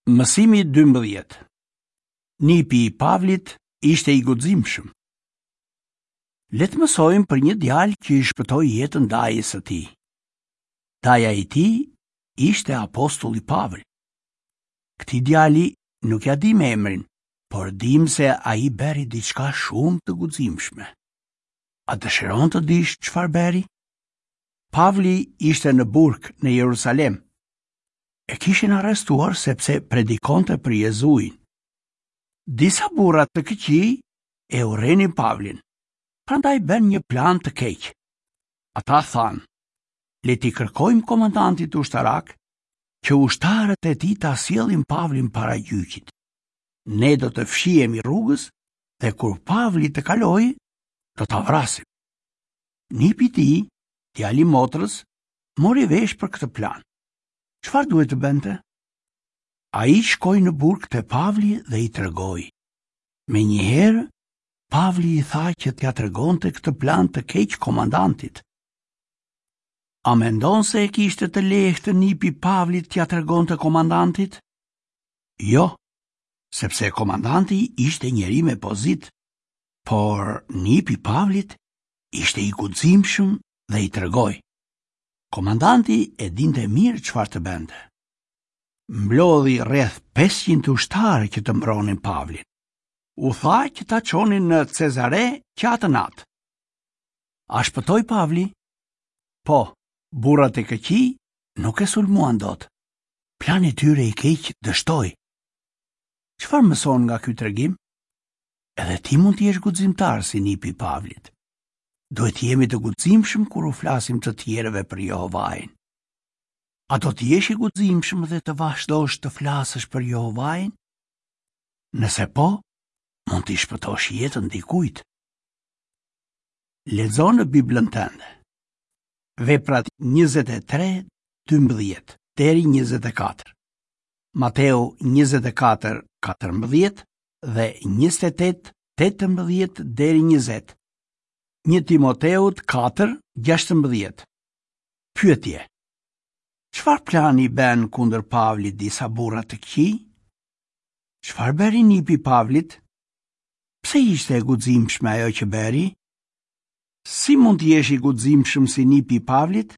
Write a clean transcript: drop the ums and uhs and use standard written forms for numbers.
Mësimi 12. Nipi i Pavlit ishte i guximshëm. Le të mësojmë për një djalë që i shpëtoi jetën dajës së tij. Daja i tij ishte apostulli Pavël. Këtij djali nuk ia dimë emrin, por dimë se ai bëri diçka shumë të guximshme. A dëshiron të dish çfarë bëri? Pavli ishte në burg në Jerusalem. E kishin arrestuar sepse predikonte për Jezuin. Disa burra të këqij e urrenin Pavlin, prandaj bënë një plan të keq. Ata thanë, le t'i kërkojmë komandantit ushtarak që ushtarët e tij ta sjellin Pavlin para gjyqit. Ne do të fshihemi rrugës dhe kur Pavli të kalojë, do ta vrasim. Nipi i tij, djali i motrës, mori vesh për këtë plan. Çfarë duhet të bënte? Ai shkoi në burg te Pavli dhe i tregoi. Menjëherë, Pavli i tha që t'ia tregonte këtë plan të keq komandantit. A mendon se e kishte të lehtë nipi i Pavlit t'ia tregonte komandantit? Jo, sepse komandanti ishte njeri me pozitë, por nipi i Pavlit ishte i guximshëm dhe i tregoi. Komandanti e dinte mirë çfarë të bënte. Mblodhi rreth 500 ushtarë që të mbronin Pavlin. U tha që ta çonin në Cezare që atë natë. A shpëtoi Pavli? Po, burrat e këqij nuk e sulmuan dot. Plani i tyre i keq dështoi. Çfarë mëson nga ky tregim? Edhe ti mund të jesh guximtar si nipi i Pavlit. Duhet të jemi të guximshëm kur u flasim të tjerëve për Jehovain. A do të jesh i guximshëm dhe të vazhdosh të flasësh për Jehovain? Nëse po, mund t'i shpëtosh jetën dikujt. Lexo në Biblën tënde. Veprat 23, 12 deri 24. Mateu 24, 14 dhe 28, 18 deri 20. 1 Timoteut 4, 16. Pyetje. Çfarë plani bënë kundër Pavlit disa burra të këqij? Çfarë bëri nipi i Pavlit? Pse ishte e guximshme ajo që bëri? Si mund të jesh i guximshëm si nipi i Pavlit?